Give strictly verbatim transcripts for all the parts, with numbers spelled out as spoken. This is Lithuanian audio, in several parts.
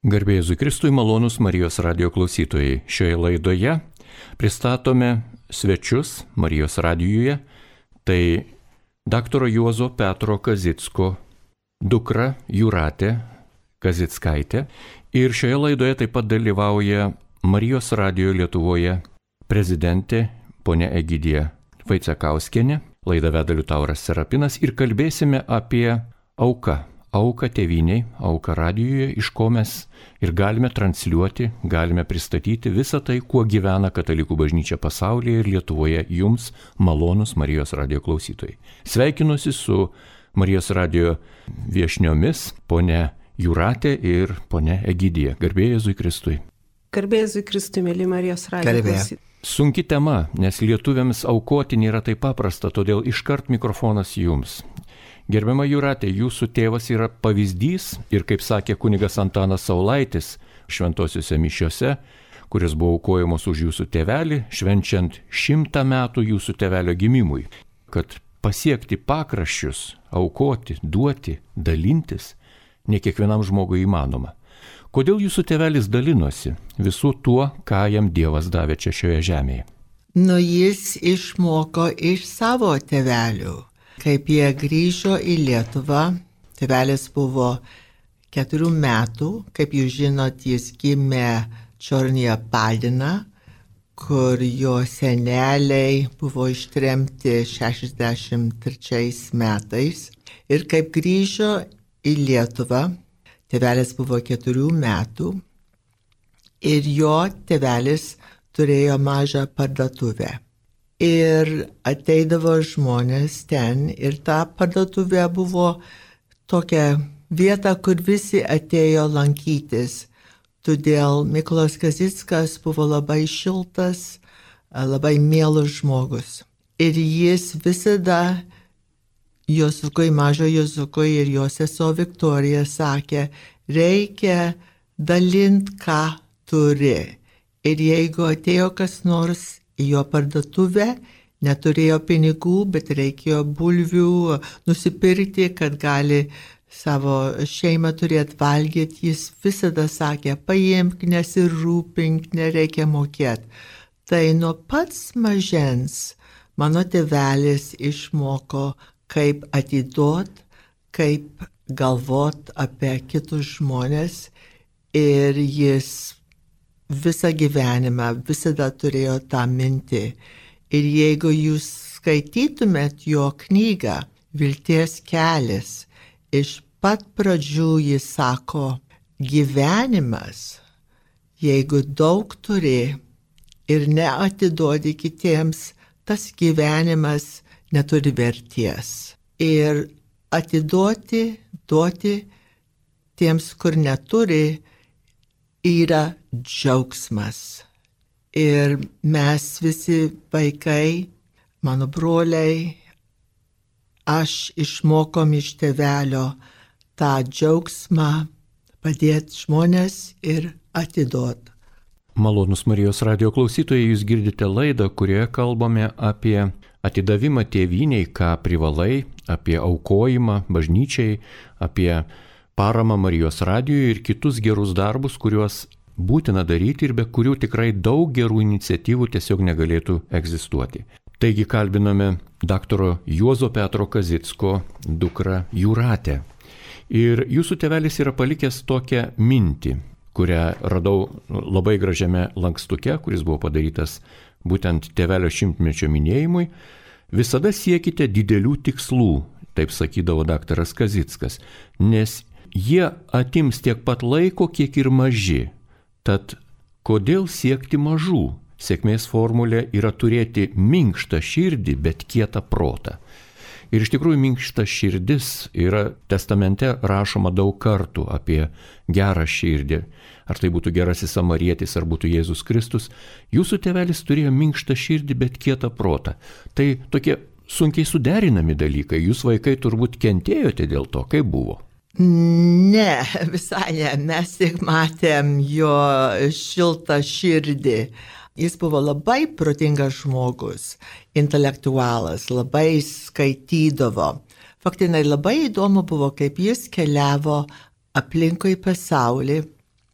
Garbė Jėzui Kristui, malonūs Marijos radijo klausytojai. Šioje laidoje pristatome svečius Marijos radijuje. Tai daktaro Juozo Petro Kazicko dukra Jūratė Kazickaitė. Ir šioje laidoje taip pat dalyvauja Marijos radijo Lietuvoje prezidentė ponia Egidija Vaicekauskienė. Laidą veda Liutauras Serapinas ir kalbėsime apie auką. Auką tėvyniai, auką radijoje, iš ko mes ir galime transliuoti, galime pristatyti visą tai, kuo gyvena katalikų bažnyčia pasaulyje ir Lietuvoje jums, malonūs Marijos radijo klausytojai. Sveikinuosi su Marijos radijo viešniomis, ponia Jūratė ir ponia Egidija. Garbė Jėzui Kristui. Garbė Jėzui Kristui, mėly Marijos radijo klausytojai. Sunki tema, nes lietuviams aukoti nėra taip paprasta, todėl iškart mikrofonas jums. Gerbiama Jūratė, jūsų tėvas yra pavyzdys ir, kaip sakė kunigas Antanas Saulaitis šventosiuose mišiose, kuris buvo aukojamos už jūsų tėvelį, švenčiant šimtą metų jūsų tėvelio gimimui, kad pasiekti pakraščius, aukoti, duoti, dalintis, ne kiekvienam žmogui įmanoma. Kodėl jūsų tėvelis dalinosi visų tuo, ką jam Dievas davė čia šioje žemėje? Nu, jis išmoko iš savo tėvelių. Kaip jie grįžo į Lietuvą, tėvelis buvo keturių metų, kaip jūs žinot, jis gimė Čornyje Padina, kur jo seneliai buvo ištremti šešiasdešimt trečiais metais. Ir kaip grįžo į Lietuvą, tėvelis buvo keturių metų ir jo tėvelis turėjo mažą parduotuvę. Ir ateidavo žmonės ten ir ta parduotuvė buvo tokia vieta, kur visi atėjo lankytis. Todėl Mykolas Kazickas buvo labai šiltas, labai mielas žmogus. Ir jis visada Jozukui, mažo Jozukui ir jo sesuo Viktorija sakė, reikia dalinti, ką turi. Ir jeigu atėjo kas nors į jo parduotuvę, neturėjo pinigų, bet reikėjo bulvių nusipirkti, kad gali savo šeimą turėti valgyti. Jis visada sakė, paimk, nesirūpink, nereikia mokėti. Tai nuo pats mažens mano tėvelis išmoko, kaip atiduot, kaip galvot apie kitus žmonės ir jis visą gyvenimą visada turėjo tą mintį. Ir jeigu jūs skaitytumėt jo knygą Vilties kelias, iš pat pradžių jis sako, gyvenimas, jeigu daug turi ir neatiduodi kitiems, tas gyvenimas neturi verties. Ir atiduoti, duoti tiems, kur neturi, yra džiaugsmas. Ir mes visi vaikai, mano broliai, aš išmokom iš tėvelio tą džiaugsmą padėti žmonės ir atiduot. Malonūs Marijos radijo klausytojai, jūs girdite laidą, kurioje kalbame apie atidavimą tėvyniai, ką privalai, apie aukojimą bažnyčiai, apie paramą Marijos radijui ir kitus gerus darbus, kuriuos būtina daryti ir be kurių tikrai daug gerų iniciatyvų tiesiog negalėtų egzistuoti. Taigi kalbiname daktaro Juozo Petro Kazicko dukrą Jūratę. Ir jūsų tėvelis yra palikęs tokią mintį, kurią radau labai gražiame lankstuke, kuris buvo padarytas būtent tėvelio šimtmečio minėjimui. Visada siekite didelių tikslų, taip sakydavo daktaras Kazickas, nes jie atims tiek pat laiko, kiek ir maži. Tad kodėl siekti mažų? Sėkmės formulė yra turėti minkštą širdį, bet kietą protą. Ir iš tikrųjų minkšta širdis yra testamente rašoma daug kartų apie gerą širdį. Ar tai būtų gerasis samarietis, ar būtų Jėzus Kristus. Jūsų tėvelis turėjo minkštą širdį, bet kietą protą. Tai tokie sunkiai suderinami dalykai. Jūs vaikai turbūt kentėjote dėl to, kaip buvo. Ne, visai ne. Mes tik matėm jo šiltą širdį. Jis buvo labai protingas žmogus, intelektualas, labai skaitydavo. Faktinai labai įdomu buvo, kaip jis keliavo aplinkui pasaulį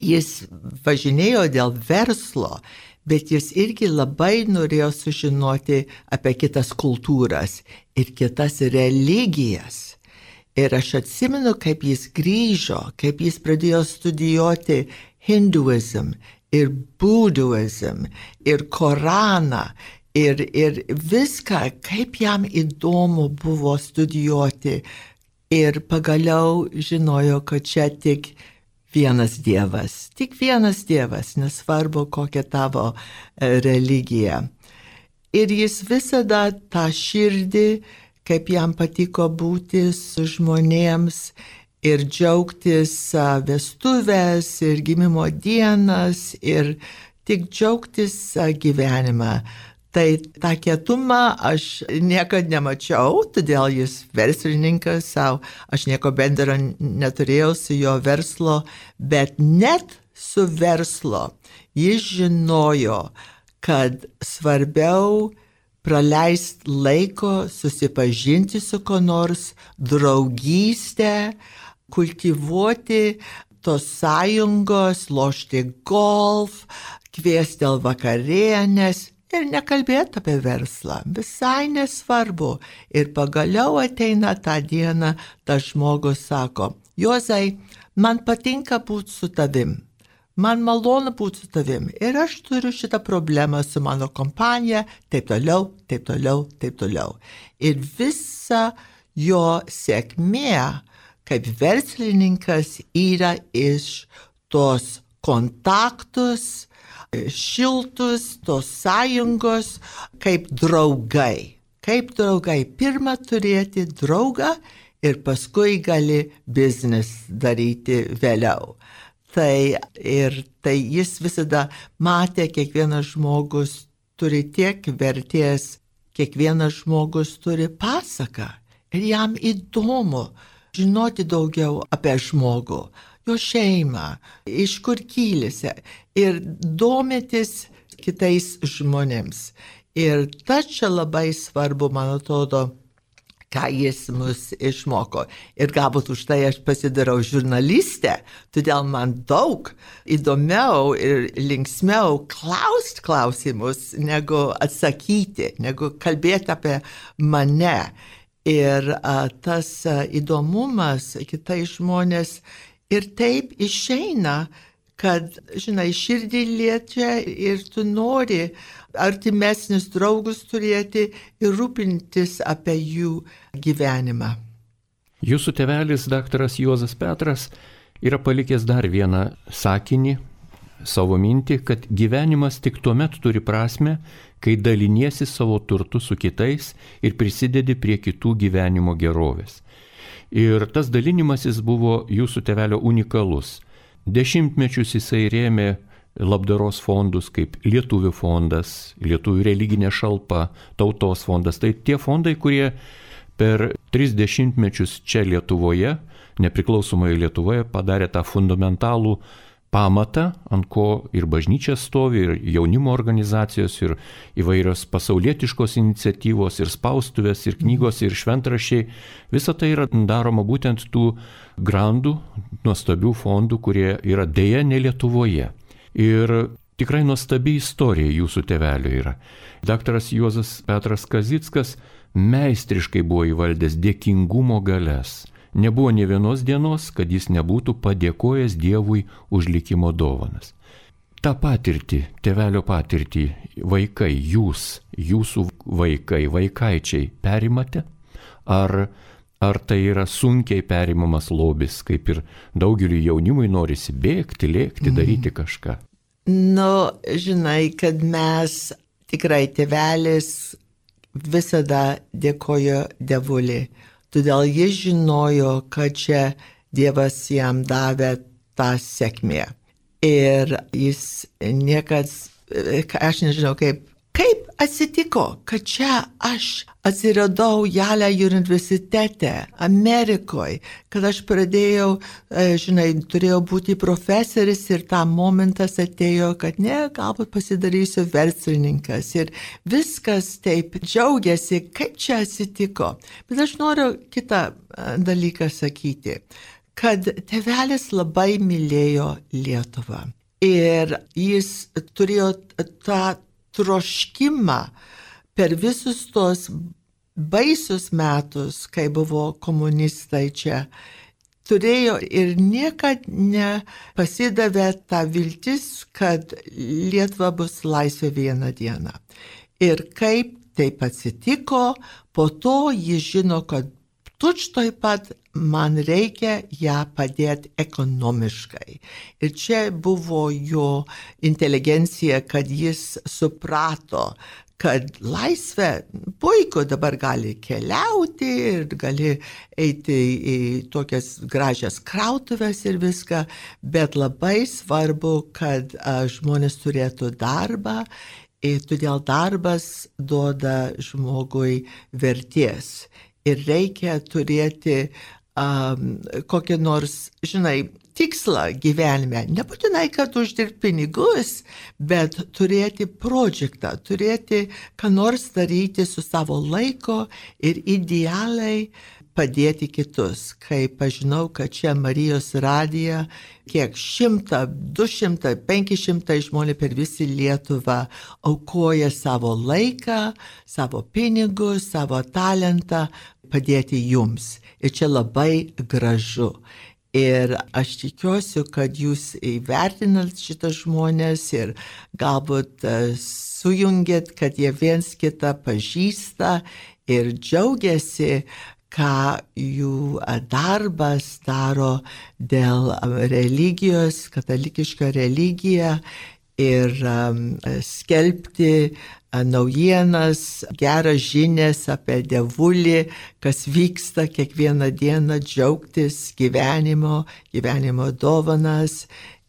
jis važinėjo dėl verslo, bet jis irgi labai norėjo sužinoti apie kitas kultūras ir kitas religijas. Ir aš atsimenu, kaip jis grįžo, kaip jis pradėjo studijuoti hinduizm ir buduizm ir Koraną ir, ir viską, kaip jam įdomu buvo studijuoti. Ir pagaliau žinojo, kad čia tik vienas Dievas, tik vienas Dievas, nesvarbu kokia tavo religija. Ir jis visada tą širdį, kaip jam patiko būti su žmonėms ir džiaugtis vestuvės ir gimimo dienas ir tik džiaugtis gyvenimą. Tai tą kietumą aš niekad nemačiau, todėl jis verslininkas savo, aš nieko bendro neturėjau su jo verslo, bet net su verslo jis žinojo, kad svarbiau praleisti laiko, susipažinti su ko nors, draugystę, kultivuoti tos sąjungos, lošti golf, kviesti dėl vakarienės ir nekalbėti apie verslą. Visai nesvarbu. Ir pagaliau ateina tą dieną, tas žmogus sako, Juozai, man patinka būti su tavim. Man malonu būti su tavim ir aš turiu šitą problemą su mano kompanija, taip toliau, taip toliau, taip toliau. Ir visa jo sėkmė kaip verslininkas yra iš tos kontaktus, šiltus, tos sąjungos, kaip draugai. Kaip draugai. Pirma turėti draugą ir paskui gali biznis daryti vėliau. Tai ir tai jis visada matė, kiekvienas žmogus turi tiek vertės, kiekvienas žmogus turi pasaką. Ir jam įdomu žinoti daugiau apie žmogų, jo šeimą, iš kur kylisė ir domėtis kitais žmonėms. Ir tas čia labai svarbu, man atrodo, ką jis mus išmoko. Ir galbūt už tai aš pasidarau žurnalistę, todėl man daug įdomiau ir linksmiau klausti klausimus, negu atsakyti, negu kalbėti apie mane. Ir a, tas a, įdomumas kitai žmonės ir taip išeina, kad, žinai, širdį liečia ir tu nori artimesnius draugus turėti ir rūpintis apie jų gyvenimą. Jūsų tėvelis, daktaras Juozas Petras, yra palikęs dar vieną sakinį, savo mintį, kad gyvenimas tik tuomet turi prasmę, kai daliniesi savo turtu su kitais ir prisidedi prie kitų gyvenimo gerovės. Ir tas dalinimasis buvo jūsų tėvelio unikalus. Dešimtmečius jisai rėmė labdaros fondus kaip Lietuvių fondas, Lietuvių religinė šalpa, Tautos fondas. Tai tie fondai, kurie per tris dešimtmečius čia Lietuvoje, nepriklausomoje Lietuvoje, padarė tą fundamentalų pamatą, ant ko ir bažnyčia stovi, ir jaunimo organizacijos, ir įvairios pasaulietiškos iniciatyvos, ir spaustuvės, ir knygos, ir šventraščiai. Visa tai yra daroma būtent tų grandų, nuostabių fondų, kurie yra dėja ne Lietuvoje. Ir tikrai nuostabi istorija jūsų tėvelio yra. Daktaras Juozas Petras Kazickas meistriškai buvo įvaldęs dėkingumo galias. Nebuvo nė vienos dienos, kad jis nebūtų padėkojęs Dievui už likimo dovanas. Ta patirtį, tėvelio patirtį, vaikai, jūs, jūsų vaikai, vaikaičiai perimate? Ar, ar tai yra sunkiai perimamas lobis, kaip ir daugeliu jaunimui norisi bėgti, lėkti, daryti kažką? Nu, žinai, kad mes tikrai tėvelis visada dėkojo Dievulį. Todėl jis žinojo, kad čia Dievas jam davė tą sėkmę. Ir jis niekad, aš nežinau kaip, kaip atsitiko, kad čia aš atsiradau Yale universitete, Amerikoje, kad aš pradėjau, žinai, turėjau būti profesoris ir tą momentas atėjo, kad ne, galbūt pasidarysiu verslininkas. Ir viskas taip džiaugiasi, kaip čia atsitiko. Bet aš noriu kitą dalyką sakyti, kad tėvelis labai mylėjo Lietuvą. Ir jis turėjo tą troškimą per visus tos baisius metus, kai buvo komunistai čia, turėjo ir niekad nepasidavė tą viltis, kad Lietuva bus laisvė vieną dieną. Ir kaip taip atsitiko, po to jis žino, kad tučtoj pat man reikia ją padėti ekonomiškai. Ir čia buvo jo inteligencija, kad jis suprato, kad laisvė puiku dabar gali keliauti ir gali eiti į tokias gražias krautuvės ir viską, bet labai svarbu, kad a, žmonės turėtų darbą ir todėl darbas duoda žmogui vertės. Ir reikia turėti um, kokį nors, žinai, tikslą gyvenime. Nebūtinai, kad uždirbti pinigus, bet turėti projektą, turėti ką nors daryti su savo laiko ir idealiai padėti kitus. Kaip aš žinau, kad čia Marijos radija, kiek šimta, du šimtai, penki šimtai žmonių per visą Lietuvą aukoja savo laiką, savo pinigus, savo talentą padėti jums. Ir čia labai gražu. Ir aš tikiuosi, kad jūs įvertinat šitas žmonės ir galbūt sujungėt, kad jie viens kitą pažįsta ir džiaugiasi, ką jų darbas daro dėl religijos, katalikišką religiją ir um, skelbti naujienas, geras žinias apie Dievulį, kas vyksta kiekvieną dieną, džiaugtis gyvenimo, gyvenimo dovanas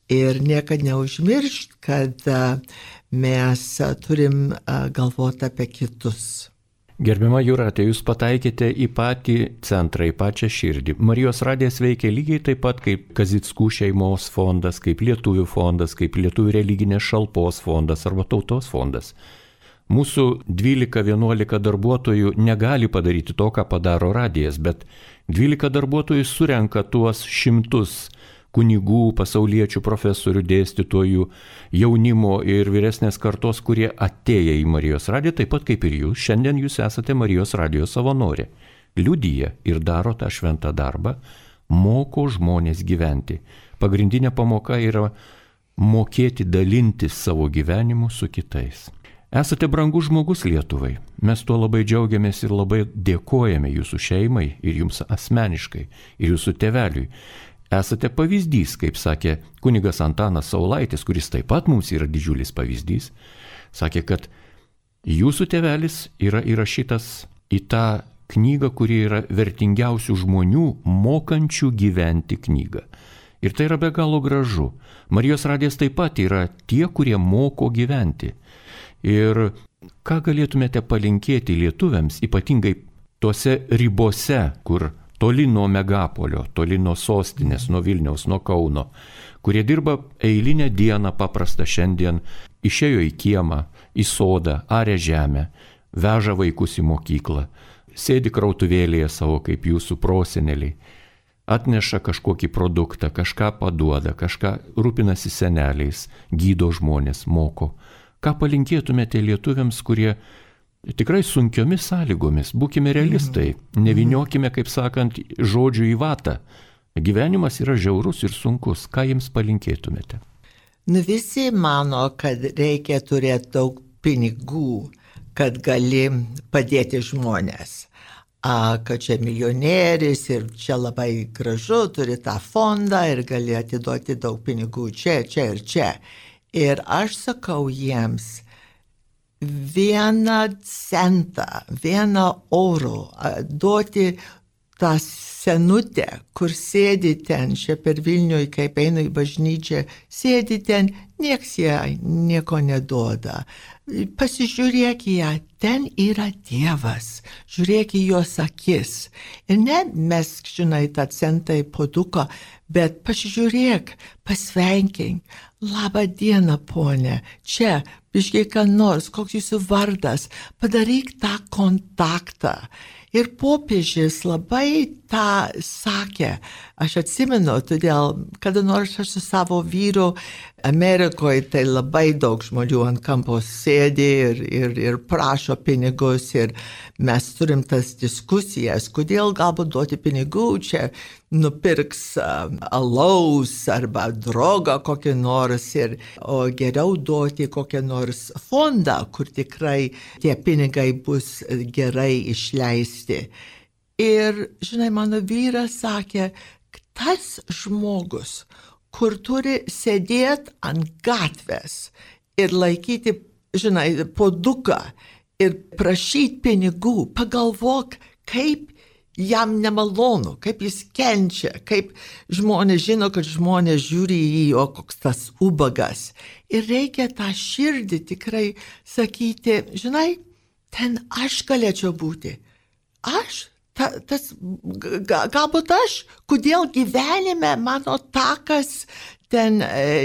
ir niekad neužmiršt, kad mes turim galvoti apie kitus. Gerbiama Jūratė, jūs pataikėte į patį centrą, į pačią širdį. Marijos radijas veikia lygiai taip pat kaip Kazickų šeimos fondas, kaip Lietuvių fondas, kaip Lietuvių religinės šalpos fondas arba tautos fondas. Mūsų dvylika vienuolika darbuotojų negali padaryti to, ką padaro radijas, bet dvylika darbuotojų surenka tuos šimtus kunigų, pasauliečių, profesorių, dėstytojų, jaunimo ir vyresnės kartos, kurie atėję į Marijos radiją, taip pat kaip ir jūs, šiandien jūs esate Marijos radijo savanorė. Liudija ir daro tą šventą darbą, moko žmonės gyventi. Pagrindinė pamoka yra mokėti dalintis savo gyvenimu su kitais. Esate brangus žmogus Lietuvai. Mes tuo labai džiaugiamės ir labai dėkojame jūsų šeimai ir jums asmeniškai, ir jūsų tėveliui. Esate pavyzdys, kaip sakė kunigas Antanas Saulaitis, kuris taip pat mums yra didžiulis pavyzdys, sakė, kad jūsų tėvelis yra įrašytas į tą knygą, kuri yra vertingiausių žmonių mokančių gyventi knygą. Ir tai yra be galo gražu. Marijos radijas taip pat yra tie, kurie moko gyventi. Ir ką galėtumėte palinkėti lietuviams, ypatingai tuose ribose, kur toli nuo megapolio, toli nuo sostinės, nuo Vilniaus, nuo Kauno, kurie dirba eilinę dieną paprastą šiandien, išėjo į kiemą, į sodą, arė žemę, veža vaikus į mokyklą, sėdi krautuvėlėje savo kaip jūsų proseneliai, atneša kažkokį produktą, kažką paduoda, kažką rūpinasi seneliais, gydo žmonės, moko. Ką palinkėtumėte lietuviams, kurie tikrai sunkiomis sąlygomis, būkime realistai, nevyniokime, kaip sakant, žodžių į vatą. Gyvenimas yra žiaurus ir sunkus, ką jiems palinkėtumėte? Nu, visi mano, kad reikia turėti daug pinigų, kad gali padėti žmonės. A, kad čia milijonierius ir čia labai gražu, turi tą fondą ir gali atiduoti daug pinigų čia, čia ir čia. Ir aš sakau jiems, vieną centą, vieną eurų duoti tą senutę, kur sėdi ten, čia per Vilnių, kaip eina į bažnyčią, sėdi ten, nieks jai nieko neduoda. Pasižiūrėk į ją, ten yra Dievas, žiūrėk į jos akis. Ir ne mes, žinai, tą centą į puoduką, bet pasižiūrėk, pasveikink, labą dieną, ponė, čia, biškiai ką nors, koks jūsų vardas, padaryk tą kontaktą. Ir popiežius labai tą sakė Aš atsimenu, todėl, kada nors aš su savo vyru Amerikoje, tai labai daug žmonių ant kampo sėdi ir, ir, ir prašo pinigus ir mes turim tas diskusijas, kodėl galbūt duoti pinigų, čia nupirks uh, alaus arba drogą kokį nors, ir, o geriau duoti kokią nors fondą, kur tikrai tie pinigai bus gerai išleisti. Ir, žinai, mano vyras sakė, tas žmogus, kur turi sėdėti ant gatvės ir laikyti, žinai, puoduką ir prašyti pinigų, pagalvok, kaip jam nemalonu, kaip jis kenčia, kaip žmonės žino, kad žmonės žiūri į jį, o koks tas ubagas. Ir reikia tą širdį tikrai sakyti, žinai, ten aš galėčiau būti. Aš? Ta, tas, ga, galbūt aš, kodėl gyvenime mano takas ten,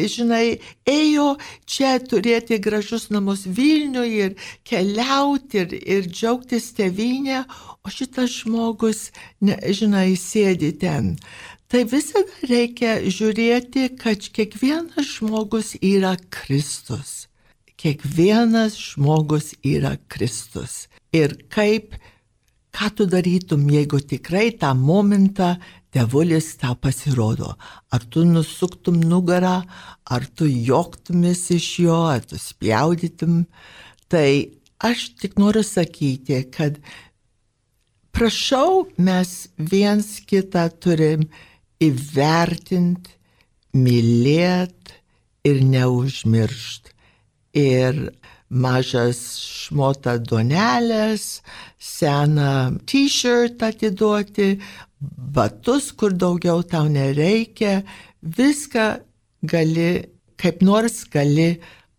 žinai, ėjo čia turėti gražus namus Vilniuje ir keliauti ir, ir džiaugtis tėvynę, o šitas žmogus, ne, žinai, sėdi ten. Tai visada reikia žiūrėti, kad kiekvienas žmogus yra Kristus. Kiekvienas žmogus yra Kristus. Ir kaip ką tu darytum, jeigu tikrai tą momentą Dievulis tau pasirodo? Ar tu nusuktum nugarą, ar tu joktumis iš jo, ar tu spjaudytum? Tai aš tik noriu sakyti, kad prašau, mes viens kitą turim įvertinti, mylėti ir neužmiršti. Ir mažas šmota duonelės, seną t-shirt atiduoti, batus, kur daugiau tau nereikia, viską gali, kaip nors gali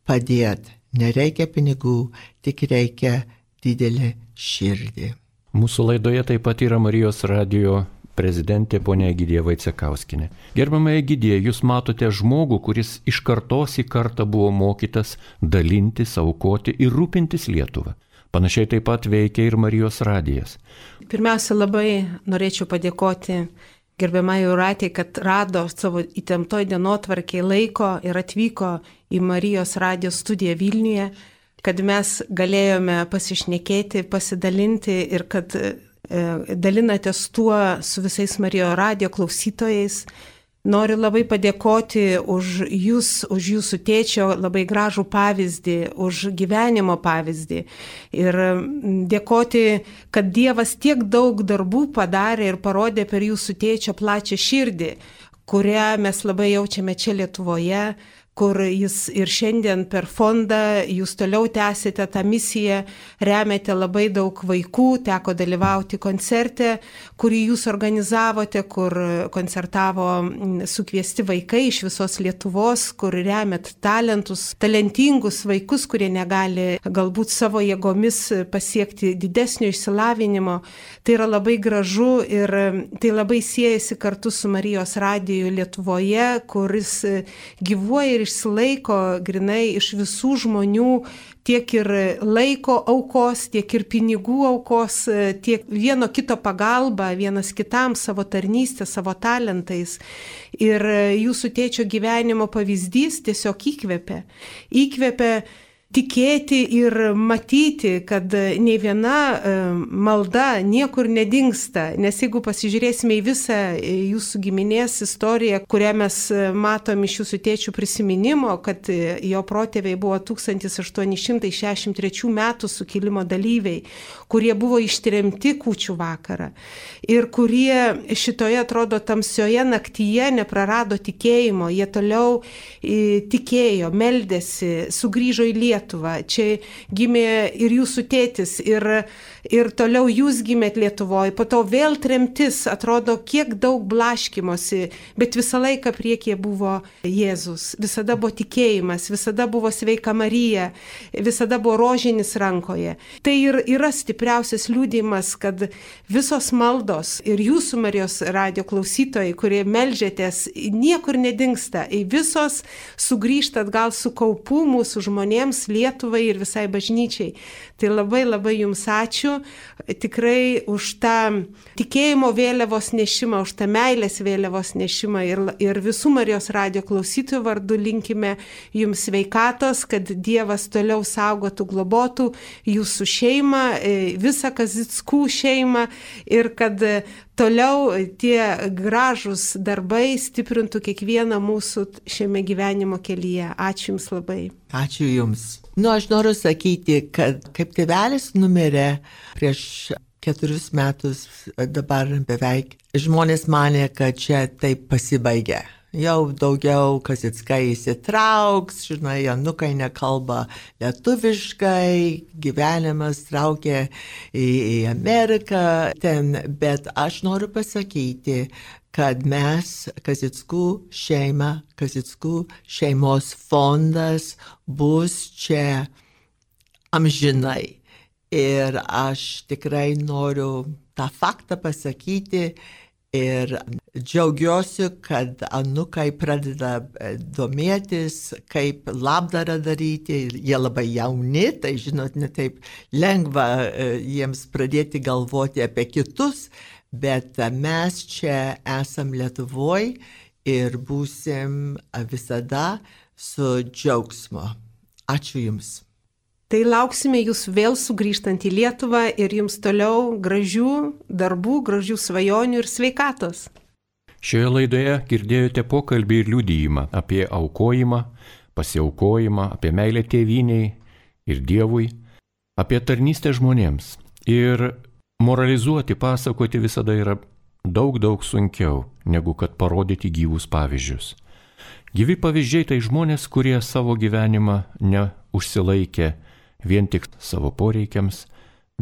padėti. Nereikia pinigų, tik reikia didelį širdį. Mūsų laidoje taip pat yra Marijos radijo prezidentė ponia Egidija Vaicekauskienė. Gerbiama Egidija, jūs matote žmogų, kuris iš kartos į kartą buvo mokytas dalintis, aukoti ir rūpintis Lietuvą. Panašiai taip pat veikia ir Marijos radijas. Pirmiausia, labai norėčiau padėkoti gerbiamai Jūratei, kad rado savo įtemptoj dienotvarkėj laiko ir atvyko į Marijos radijo studiją Vilniuje, kad mes galėjome pasišnekėti, pasidalinti ir kad dalinatės tuo su visais Marijos radijo klausytojais. Noriu labai padėkoti už jūs, už jūsų tėčio labai gražų pavyzdį, už gyvenimo pavyzdį. Ir dėkoti, kad Dievas tiek daug darbų padarė ir parodė per jūsų tėčio plačią širdį, kurią mes labai jaučiame čia Lietuvoje, kur jis ir šiandien per fondą, jūs toliau tęsite tą misiją, remiate labai daug vaikų, teko dalyvauti koncerte, kurį jūs organizavote, kur koncertavo sukviesti vaikai iš visos Lietuvos, kur remiat talentus, talentingus vaikus, kurie negali galbūt savo jėgomis pasiekti didesnio išsilavinimo. Tai yra labai gražu ir tai labai siejasi kartu su Marijos radiju Lietuvoje, kuris gyvuoja ir išsilaiko grinai iš visų žmonių, tiek ir laiko aukos, tiek ir pinigų aukos, tiek vieno kito pagalba, vienas kitam savo tarnystę, savo talentais. Ir jūsų tėčio gyvenimo pavyzdys tiesiog įkvepia. Įkvepia tikėti ir matyti, kad nei viena malda niekur nedingsta, nes jeigu pasižiūrėsime į visą jūsų giminės istoriją, kurią mes matom iš jūsų tėčių prisiminimo, kad jo protėviai buvo tūkstantis aštuoni šimtai šešiasdešimt trečių metų sukilimo dalyviai, kurie buvo ištremti kūčių vakarą ir kurie šitoje, atrodo, tamsioje naktyje neprarado tikėjimo, jie toliau tikėjo, meldėsi, sugrįžo į Lietuvą. Čia gimė ir jūsų tėtis, ir, ir toliau jūs gimėt Lietuvoje, po to vėl tremtis, atrodo, kiek daug blaškimosi, bet visą laiką priekyje buvo Jėzus, visada buvo tikėjimas, visada buvo sveika Marija, visada buvo rožinis rankoje. Tai ir yra stipriausias liudijimas, kad visos maldos ir jūsų Marijos radijo klausytojai, kurie meldžiatės, niekur nedingsta, visos sugrįžta atgal su kaupu mūsų žmonėms, Lietuvai ir visai bažnyčiai. Tai labai labai jums ačiū tikrai už tą tikėjimo vėliavos nešimą, už tą meilės vėliavos nešimą ir, ir visų Marijos radijo klausytojų vardu linkime jums sveikatos, kad Dievas toliau saugotų, globotų jūsų šeimą, visą Kazickų šeimą ir kad toliau tie gražūs darbai stiprintų kiekvieną mūsų šiame gyvenimo kelyje. Ačiū Jums labai. Ačiū Jums. Nu, aš noriu sakyti, kad kaip tėvelis numirė prieš keturius metus, dabar beveik, žmonės manė, kad čia taip pasibaigė. Jau daugiau Kazickai įsitrauks, žinai, anukai nekalba lietuviškai, gyvenimas traukia į, į Ameriką ten, bet aš noriu pasakyti, kad mes, Kazickų šeima, Kazickų šeimos fondas bus čia amžinai. Ir aš tikrai noriu tą faktą pasakyti, ir džiaugiuosi, kad anukai pradeda domėtis, kaip labdarą daryti. Ir jie labai jauni, tai žinot, ne taip lengva jiems pradėti galvoti apie kitus, bet mes čia esam Lietuvoje ir būsim visada su džiaugsmu. Ačiū Jums. Tai lauksime jūs vėl sugrįžtant į Lietuvą ir jums toliau gražių darbų, gražių svajonių ir sveikatos. Šioje laidoje girdėjote pokalbį ir liudijimą apie aukojimą, pasiaukojimą, apie meilę tėvynei ir Dievui, apie tarnystę žmonėms. Ir moralizuoti, pasakoti visada yra daug, daug sunkiau, negu kad parodyti gyvus pavyzdžius. Gyvi pavyzdžiai tai žmonės, kurie savo gyvenimą neužsilaikė vien tik savo poreikiams,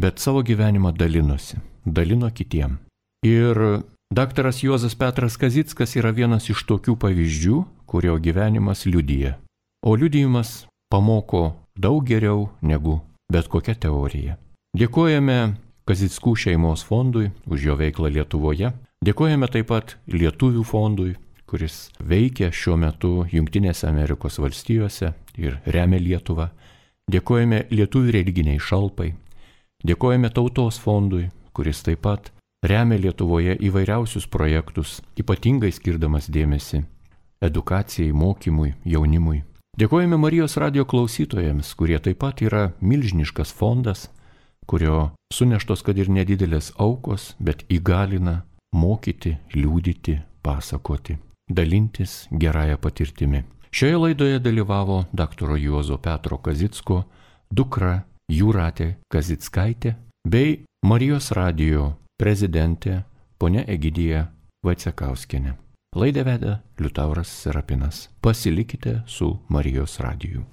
bet savo gyvenimą dalinosi, dalino kitiem. Ir daktaras Juozas Petras Kazickas yra vienas iš tokių pavyzdžių, kurio gyvenimas liudija. O liudijimas pamoko daug geriau negu bet kokia teorija. Dėkojame Kazickų šeimos fondui už jo veiklą Lietuvoje. Dėkojame taip pat Lietuvių fondui, kuris veikia šiuo metu Jungtinėse Amerikos valstijose ir remia Lietuvą. Dėkojame Lietuvių religiniai šalpai, dėkojame Tautos fondui, kuris taip pat remia Lietuvoje įvairiausius projektus, ypatingai skirdamas dėmesį edukacijai, mokymui, jaunimui. Dėkojame Marijos radijo klausytojams, kurie taip pat yra milžiniškas fondas, kurio suneštos, kad ir nedidelės aukos, bet įgalina mokyti, liudyti, pasakoti, dalintis gerąją patirtimi. Šioje laidoje dalyvavo daktaro Juozo Petro Kazicko dukra Jūratė Kazickaitė bei Marijos radijo prezidentė ponia Egidija Vaicekauskienė. Laidą vedė Liutauras Serapinas. Pasilikite su Marijos radiju.